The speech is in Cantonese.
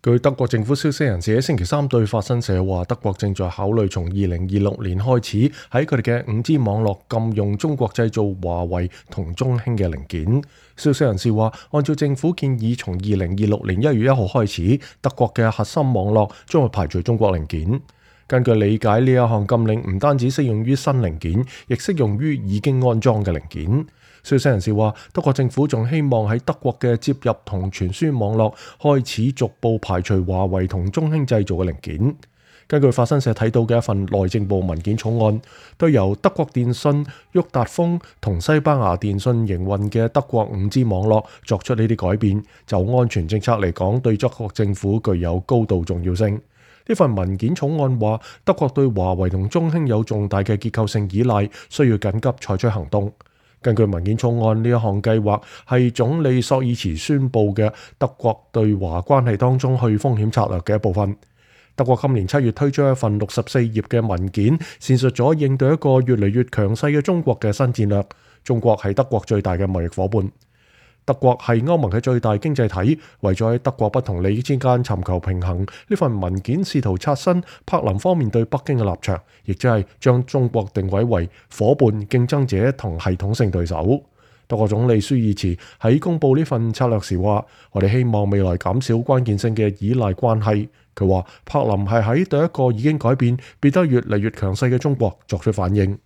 據德國政府消息人士喺星期三對法新社話，德國正在考慮從2026年開始喺佢哋嘅 5G 網絡禁用中國製造華為同中興嘅零件。消息人士話，按照政府建議，從2026年1月1號開始，德國嘅核心網絡將會排除中國零件。根據理解，呢一項禁令唔單止適用於新零件，亦適用於已經安裝嘅零件。消息人士話，德國政府仲希望喺德國嘅接入同傳輸網絡開始逐步排除華為同中興製造嘅零件。根據法新社睇到嘅一份內政部文件草案，對由德國電信、沃達豐同西班牙電信營運嘅德國 5G 網絡作出呢啲改變，就安全政策嚟講，對德國政府具有高度重要性。呢份文件草案話，德國對華為同中興有重大嘅結構性依賴，需要緊急採取行動。根據文件草案，呢一項計劃係總理朔爾茨宣布嘅德國對華關係當中去風險策略嘅一部分。德國今年7月推出一份64頁嘅文件，闡述咗應對一個越嚟越強勢嘅中國嘅新戰略。中國係德國最大嘅貿易夥伴。德國係歐盟嘅最大經濟體，為咗喺德國不同利益之間尋求平衡，呢份文件試圖刷新柏林方面對北京嘅立場，亦即係將中國定位為夥伴、競爭者同系統性對手。德國總理舒爾茨喺公布呢份策略時話：我哋希望未來減少關鍵性嘅依賴關係。佢話柏林係喺對一個已經改變、變得越嚟越強勢嘅中國作出反應。